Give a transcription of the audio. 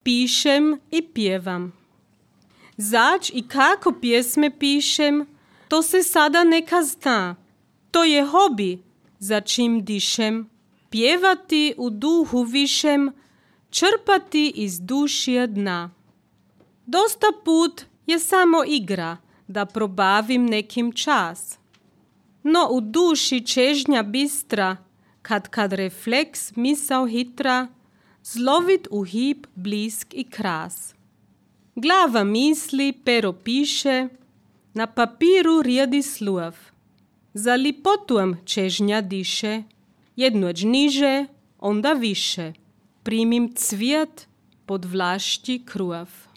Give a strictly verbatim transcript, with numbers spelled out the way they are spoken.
pišem i pjevam. Zač i kako pjesme pišem, to se sada neka zna. To je hobi, za čim dišem. Pjevati u duhu višem, črpati iz dušija dna. Dosta put je samo igra, da probavim nekim čas. No u duši čežnja bistra, kad kad refleks misao hitra, zlovit u hip blisk i kras. Glava misli, pero piše, na papiru rijedi sluv. Za lipotujem čežnja diše, jednoć niže, onda više. Primim cvijet pod vlašći kruv.